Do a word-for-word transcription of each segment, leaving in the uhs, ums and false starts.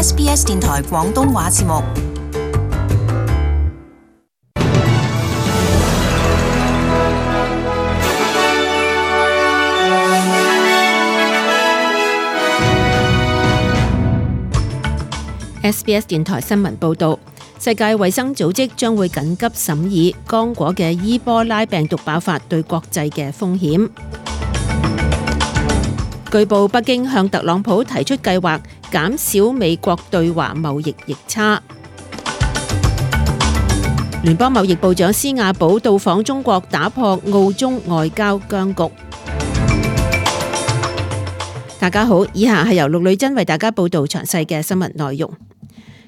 S B S 電台廣東話節目。S B S 電台新聞報導，世界衛生組織將會緊急審議剛果嘅伊波拉病毒爆發對國際嘅風險。據報，北京向特朗普提出計劃，減少美國對華貿易逆差。聯邦貿易部長施亞寶到訪中國，打破澳中外交僵局。大家好，以下係由陸女珍為大家報導詳細嘅新聞內容。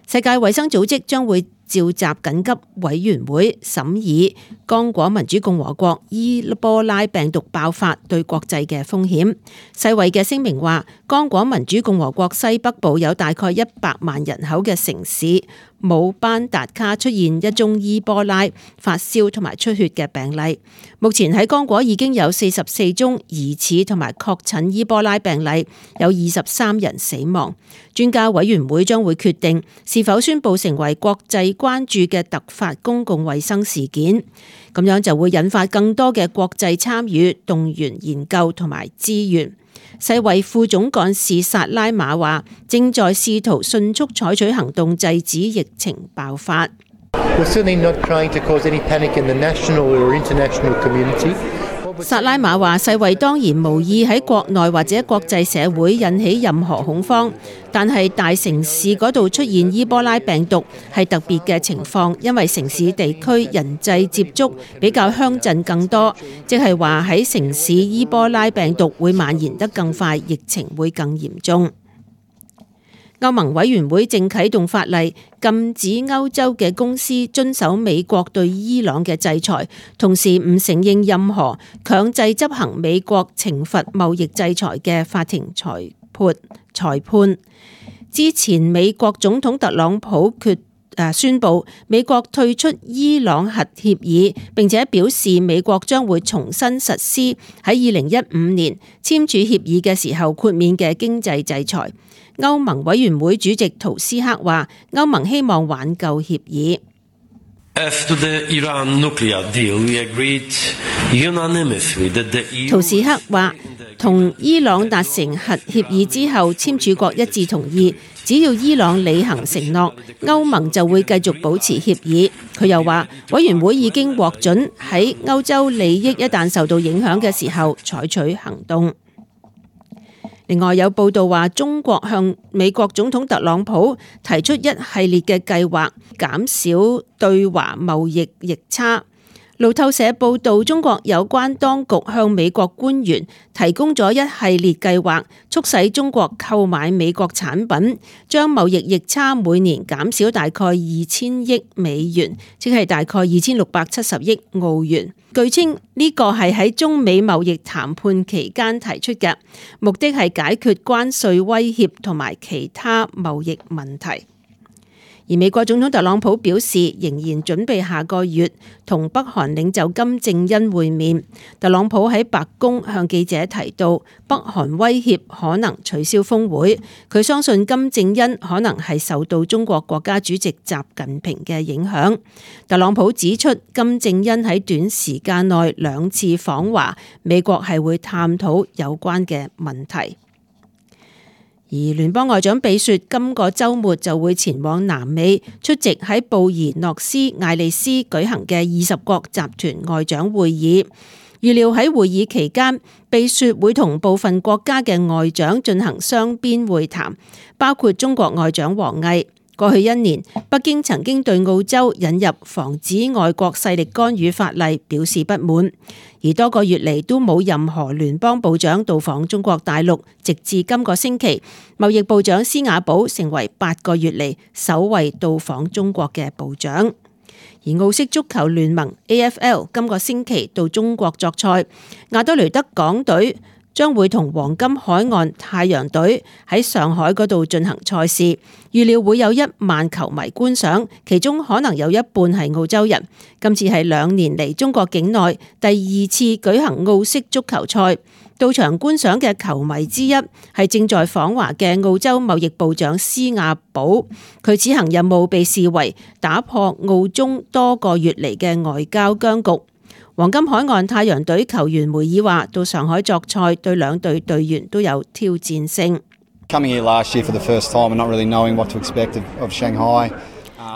世界衛生組織將會召集緊急委員會審議剛果民主共和國伊波拉病毒爆發對國際嘅風險。世衛嘅聲明話，剛果民主共和國西北部有大概一百萬人口嘅城市姆班達卡出現一宗伊波拉發燒同埋出血嘅病例。目前喺剛果已經有四十四宗疑似同埋確診伊波拉病例，有二十三人死亡。專家委員會將會決定是否宣布成為國際關注嘅突發公共衛生事件，咁樣就會引發更多嘅國際參與、動員研究同埋資源。世衛副總幹事薩拉馬話，正在試圖迅速採取行動制止疫情爆發。薩拉馬話，世衛當然無意喺國內或者國際社會引起任何恐慌，但係大城市嗰度出現伊波拉病毒係特別嘅情況，因為城市地區人際接觸比較鄉鎮更多，即係話喺城市伊波拉病毒會蔓延得更快，疫情會更嚴重。歐盟委員會正啟動法例，禁止歐洲嘅公司遵守美國對伊朗嘅制裁，同時唔承認任何強制執行美國懲罰貿易制裁嘅法庭裁判。裁判之前，美國總統特朗普決誒宣布美國退出伊朗核協議，並且表示美國將會重新實施喺二零一五年簽署協議嘅時候豁免嘅經濟制裁。歐盟委員會主席圖斯克話，歐盟希望挽救協議。圖斯克話，同伊朗達成核協議之後，簽署國一致同意，只要伊朗履行承諾，歐盟就會繼續保持協議。佢又話，委員會已經獲准喺歐洲利益一旦受到影響嘅時候採取行動。另外有報道話，中國向美國總統特朗普提出一系列嘅計劃，減少對華貿易逆差。路透社報道，中國有關當局向美國官員提供咗一系列計劃，促使中國購買美國產品，將貿易逆差每年減少大概二千億美元，即係大概二千六百七十億澳元。據稱呢個係喺中美貿易談判期間提出嘅，目的係解決關稅威脅同埋其他貿易問題。而美國總統特朗普表示，仍然準備下個月同北韓領袖金正恩會面。特朗普喺白宮向記者提到，北韓威脅可能取消峰會。佢相信金正恩可能係受到中國國家主席習近平嘅影響。特朗普指出，金正恩喺短時間內兩次訪華，美國係會探討有關嘅問題。而聯邦外長比雪今個週末就會前往南美出席喺布宜諾斯艾利斯舉行嘅二十國集團外長會議。預料喺會議期間，比雪會同部分國家嘅外長進行雙邊會談，包括中國外長王毅。過去一年，北京曾經對澳洲引入防止外國勢力干預法例表示不滿，而多個月嚟都冇任何聯邦部長到訪中國大陸，直至今個星期，貿易部長施亞寶成為八個月嚟首位到訪中國嘅部長。而澳式足球聯盟 A F L 今個星期到中國作賽，亞德雷德港隊將會同黃金海岸太陽隊喺上海嗰度進行賽事，預料會有一萬球迷觀賞，其中可能有一半係澳洲人。今次係兩年嚟中國境內第二次舉行澳式足球賽，到場觀賞嘅球迷之一係正在訪華嘅澳洲貿易部長施亞寶，佢此行任務被視為打破澳中多個月嚟嘅外交僵局。黃金海岸太陽隊球員梅爾話：到上海作賽對兩隊隊員都有挑戰性。Coming here last year for the first time and not really knowing what to expect of, of Shanghai.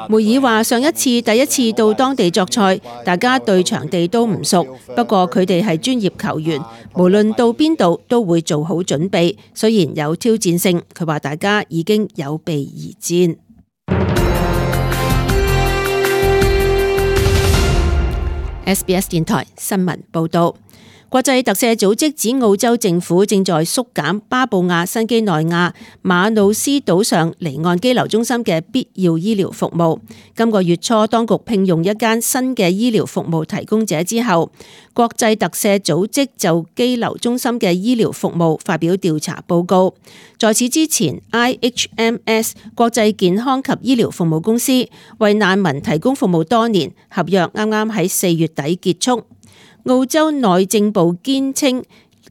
梅爾話：上一次第一次到當地作賽，大家對場地都唔熟，不過佢哋係專業球員，無論到邊度都會做好準備。雖然有挑戰性，佢話大家已經有備而戰。S B S 電台新聞報導。國際特赦組織指澳洲政府正在縮減巴布亞新幾內亞馬努斯島上離岸羈留中心嘅必要醫療服務。今個月初，當局聘用一間新嘅醫療服務提供者之後，國際特赦組織就羈留中心嘅醫療服務發表調查報告。在此之前 ，I H M S 國際健康及醫療服務公司為難民提供服務多年，合約啱啱喺四月底結束。澳洲內政部堅稱，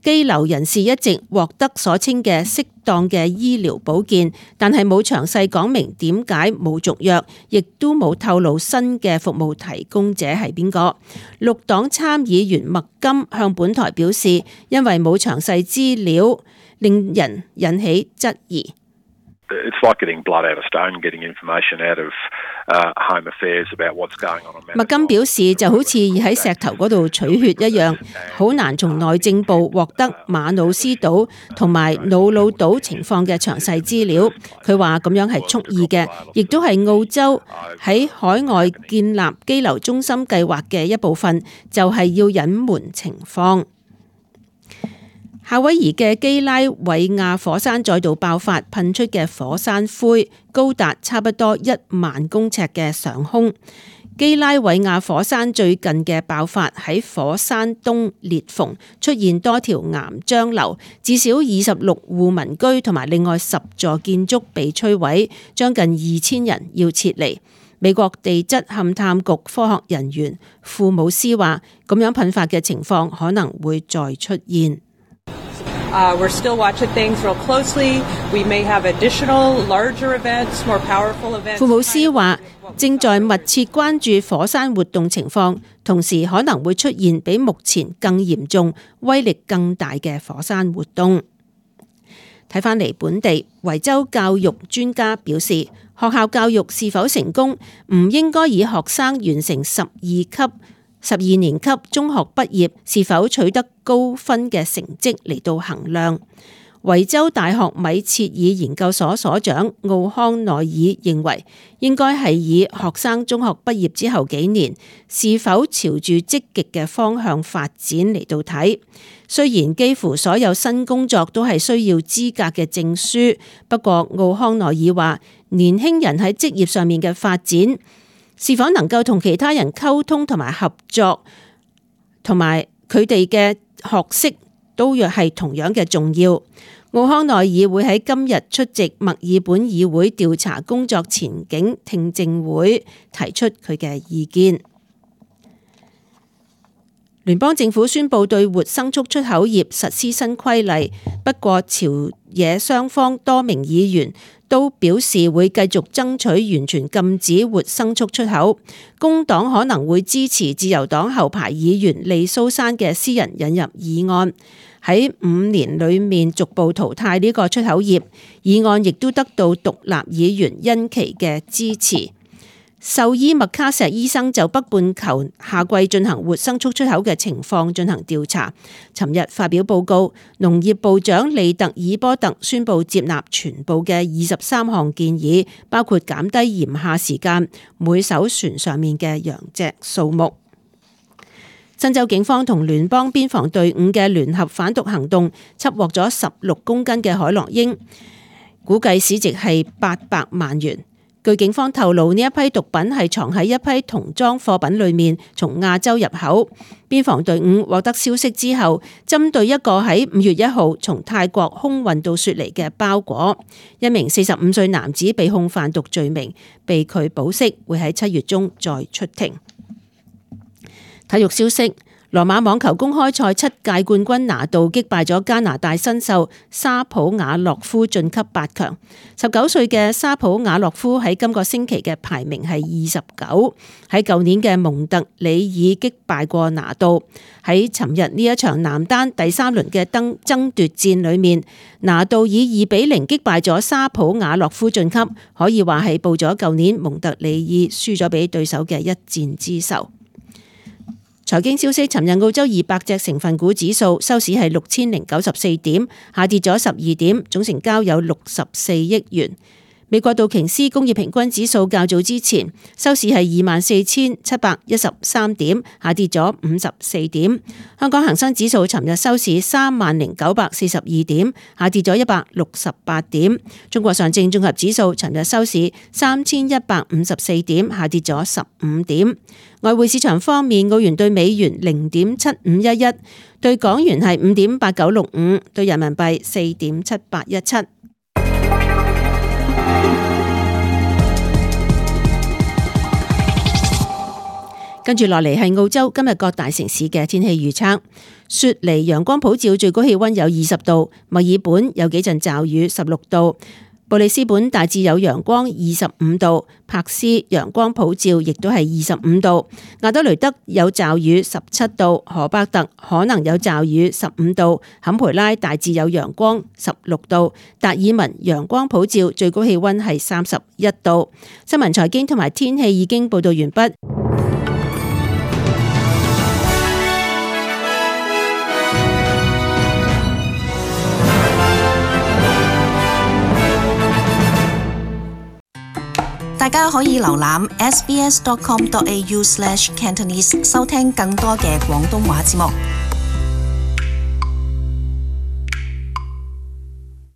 羈留人士一直獲得所稱嘅適當嘅醫療保健，但係冇詳細講明點解冇續約，亦都冇透露新嘅服務提供者係邊個。綠黨參議員麥金向本台表示，因為冇詳細資料，令人引起質疑。It's like getting blood out of stone, getting information out of uh, home affairs about what's going on. 麥金表示，就好似喺石頭嗰度取血一樣，好難從內政部獲得馬努斯島同埋瑙魯島情況嘅詳細資料。佢話咁樣係蓄意嘅，亦都係澳洲喺海外建立羈留中心計劃嘅一部分，就係要隱瞞情況。夏威夷嘅基拉韋亞火山再度爆發，噴出嘅火山灰高達差不多一萬公尺嘅上空。基拉韋亞火山最近嘅爆發喺火山東裂縫出現多條岩漿流，至少二十六戶民居同埋另外十座建築被摧毀，將近二千人要撤離。美國地質勘探局科學人員庫姆斯話：咁樣噴發嘅情況可能會再出現。Uh, we're still watching things real closely. We may have additional larger events, more powerful events. 庫姆斯話：正在密切關注火山活動情況，同時可能會出現比目前更嚴重、威力更大嘅火山活動。睇返嚟本地，維州教育專家表示，學校教育是否成功，唔應該以學生完成十二級十二年級中學畢業是否取得高分嘅成績嚟到衡量。維州大學米切爾研究所所長奧康內爾認為，應該係以學生中學畢業之後幾年是否朝住積極嘅方向發展嚟到睇。雖然幾乎所有新工作都係需要資格嘅證書，不過奧康內爾話，年輕人喺職業上面嘅發展，是否能夠同其他人溝通同埋合作，同埋佢哋嘅學識都若係同樣嘅重要。奧康內爾會喺今日出席墨爾本議會調查工作前景聽證會，提出佢嘅意見。聯邦政府宣布對活牲畜出口業實施新規例，不過朝野雙方多名議員都表示會繼續爭取完全禁止活牲畜出口。工黨可能會支持自由黨後排議員利蘇珊嘅私人引入議案，喺五年裏面逐步淘汰呢個出口業。議案亦都得到獨立議員恩琪嘅支持。獸醫麥卡錫醫生就北半球夏季進行活牲畜出口嘅情況進行調查。尋日發表報告，農業部長利特爾波特宣布接納全部嘅二十三項建議，包括減低鹽下時間、每艘船上面嘅羊隻數目。新州警方同聯邦邊防隊伍嘅聯合反毒行動，緝獲咗十六公斤嘅海洛英，估計市值係八百萬元。據警方透露，呢一批毒品係藏喺一批童裝貨品裏面，從亞洲入口。邊防隊伍獲得消息之後，針對一個喺五月一號從泰國空運到雪梨嘅包裹，一名四十五歲男子被控販毒罪名，被拒保釋，會喺七月中再出庭。體育消息。羅馬網球公開賽七屆冠軍拿度擊敗咗加拿大新秀沙普瓦洛夫晉級八強。十九歲嘅沙普瓦洛夫喺今個星期嘅排名係二十九，喺舊年嘅蒙特里爾擊敗過拿度。喺尋日呢一場男單第三輪嘅爭爭奪戰裏面，拿度以二比零擊敗咗沙普瓦洛夫晉級，可以話係報咗舊年蒙特里爾輸咗俾對手嘅一戰之仇。財經消息，尋日澳洲二百隻成分股指數收市係六千零九十四點，下跌咗十二點，總成交有六十四億元。美國道瓊斯工業平均指數較早之前收市係二萬四千七百一十三點，下跌咗五十四點。香港恒生指數尋日收市三萬零九百四十二點，下跌咗一百六十八點。中國上證綜合指數尋日收市三千一百五十四點，下跌咗十五點。外匯市場方面，澳元對美元零點七五一一，對港元係五點八九六五，對人民幣四點七八一七。跟住落嚟係澳洲今日各大城市嘅天氣預測。雪梨陽光普照，最高氣溫有二十度；墨爾本有幾陣驟雨，十六度；布里斯本大致有陽光，二十五度；柏斯陽光普照，亦都係二十五度；亞德雷德有驟雨，十七度；荷伯特可能有驟雨，十五度；坎培拉大致有陽光，十六度；達爾文陽光普照，最高氣溫係三十一度。新聞財經同埋天氣已經報道完畢。大家可以瀏覽 s b s dot com dot a u slash cantonese 收聽更多嘅廣東話節目。